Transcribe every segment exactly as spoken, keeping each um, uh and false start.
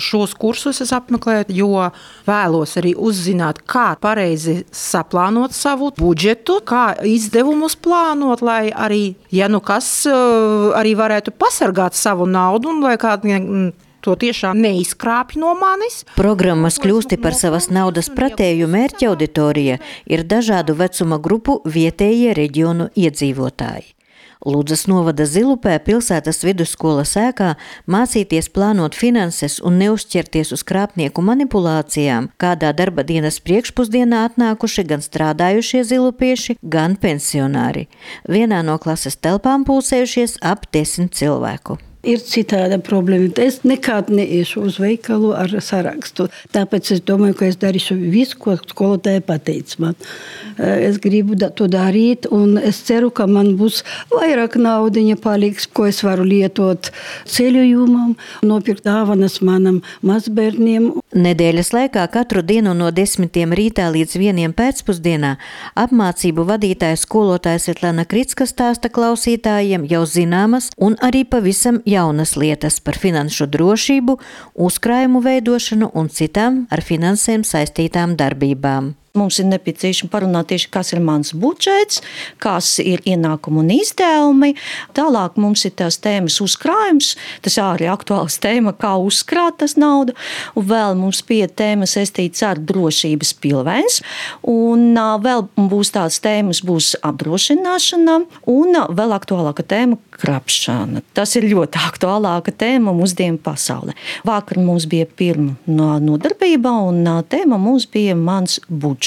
Šos kursus es apmeklēju, jo vēlos arī uzzināt, kā pareizi saplānot savu budžetu, kā izdevumus plānot, lai arī, ja nu kas, arī varētu pasargāt savu naudu un lai kādi to tiešām neizkrāpj no manis. Programmas Kļūsti par savas naudas pratēju mērķa auditorija ir dažādu vecuma grupu vietējie reģionu iedzīvotāji. Ludzas novada Zilupē pilsētas vidusskolas ēkā mācīties plānot finanses un neuzķerties uz krāpnieku manipulācijām, kādā darba dienas priekšpusdienā atnākuši gan strādājušie zilupieši, gan pensionāri. Vienā no klases telpām pulsējušies ap desmit cilvēku. Ir citāda problēma. Es nekad neiešu uz veikalu ar sarakstu. Tāpēc es domāju, ka es darīšu visu, ko skolotāja pateica man. Es gribu to darīt, un es ceru, ka man būs vairāk naudiņa paliks, ko es varu lietot ceļojumam, nopirkt dāvanas manam mazbērniem. Nedēļas laikā katru dienu no desmitiem rītā līdz vieniem pēcpusdienā apmācību vadītāja skolotāja Svetlana Kricka stāsta klausītājiem jau zināmas un arī pavisam jaunas lietas par finanšu drošību, uzkrājumu veidošanu un citām ar finansēm saistītām darbībām. Mums ir nepieciešams parunāt tieši, kas ir mans budžets, kas ir ienākumi un izdevumi. Tālāk mums ir tās tēmas uzkrājums, tas arī aktuāls tēma, kā uzkrāt tas naudu. Un vēl mums pie tēmas saistīts ar drošības pilvēns. Un vēl būs tās tēmas, būs apdrošināšana un vēl aktuālāka tēma krapšana. Tas ir ļoti aktuālāka tēma mūsdienu pasaulē. Vakar mums bija pirma nodarbība un tēma mums bija mans budžets.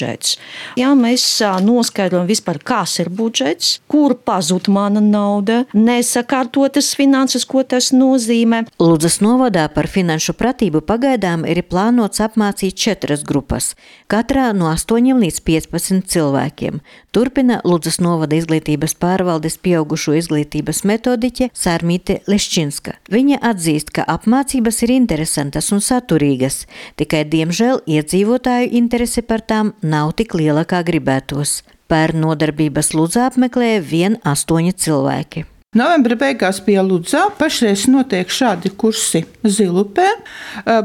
Ja mēs noskaidrojam vispār, kas ir budžets, kur pazūd mana nauda, nesakārtotas finanses, ko tas nozīmē. Ludzas novadā par finanšu pratību pagaidām ir plānots apmācīt četras grupas, katrā no astoņiem līdz piecpadsmit cilvēkiem. Turpina Ludzas novada izglītības pārvaldes pieaugušo izglītības metodiķe Sārmīte Leščinska. Viņa atzīst, ka apmācības ir interesantas un saturīgas, tikai diemžēl iedzīvotāju interese par tām nav tik liela, kā gribētos. Pērn nodarbības Ludzā apmeklēja vien astoņi cilvēki. Novembra beigās bija Ludzā, pašreiz notiek šādi kursi Zilupē,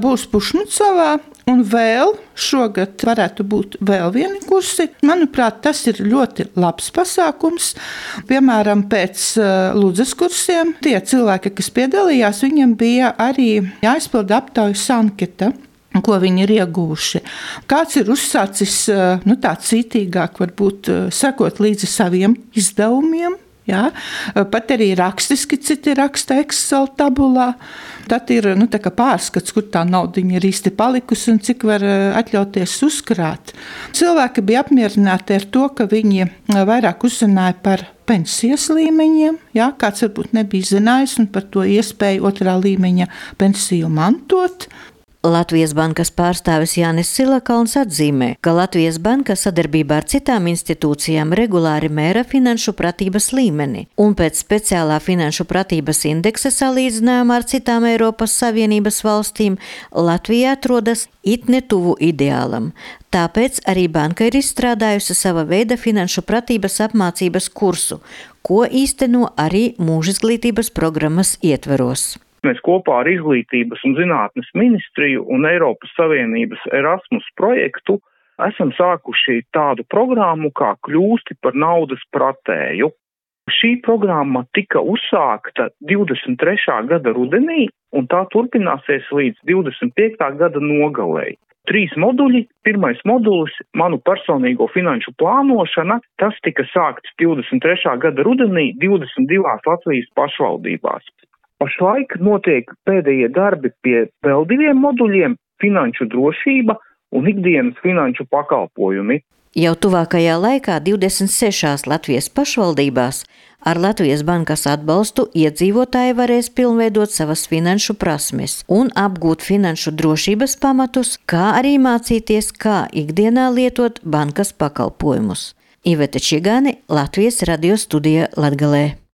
būs Pušmucavā un vēl šogad varētu būt vēl vieni kursi. Manuprāt, tas ir ļoti labs pasākums. Piemēram, pēc Ludzas kursiem tie cilvēki, kas piedalījās, viņiem bija arī jāizpilda aptaujas anketa, ko viņi ir ieguvuši. Kāds ir uzsācis nu, tā cītīgāk, varbūt sekot līdzi saviem izdevumiem, jā? Pat arī rakstiski citi raksta Excel tabulā. Tad ir nu, tā kā pārskats, kur tā naudiņa ir īsti palikusi un cik var atļauties uzkrāt. Cilvēki bija apmierināti ar to, ka viņi vairāk uzzināja par pensijas līmeņiem, jā, kāds varbūt nebija zinājis, un par to iespēju otrā līmeņa pensiju mantot. Latvijas bankas pārstāvis Jānis Silakalns atzīmē, ka Latvijas banka sadarbībā ar citām institūcijām regulāri mēra finanšu pratības līmeni, un pēc speciālā finanšu pratības indeksa salīdzinājumā ar citām Eiropas Savienības valstīm Latvija atrodas it netuvu ideālam. Tāpēc arī banka ir izstrādājusi sava veida finanšu pratības apmācības kursu, ko īsteno arī mūžizglītības programmas ietveros. Mēs kopā ar Izglītības un zinātnes ministriju un Eiropas Savienības Erasmus projektu esam sākuši tādu programmu kā Kļūsti par naudas pratēju. Šī programma tika uzsākta divdesmit trešā gada rudenī un tā turpināsies līdz divdesmit piektā gada nogalei. Trīs moduļi. Pirmais modulis – manu personīgo finanšu plānošana. Tas tika sākts divdesmit trešā gada rudenī divdesmit divās Latvijas pašvaldībās. Pašlaik notiek pēdējie darbi pie vēl diviem moduļiem – finanšu drošība un ikdienas finanšu pakalpojumi. Jau tuvākajā laikā divdesmit sešās Latvijas pašvaldībās ar Latvijas bankas atbalstu iedzīvotāji varēs pilnveidot savas finanšu prasmes un apgūt finanšu drošības pamatus, kā arī mācīties, kā ikdienā lietot bankas pakalpojumus. Iveta Čigāne, Latvijas radio studija Latgalē.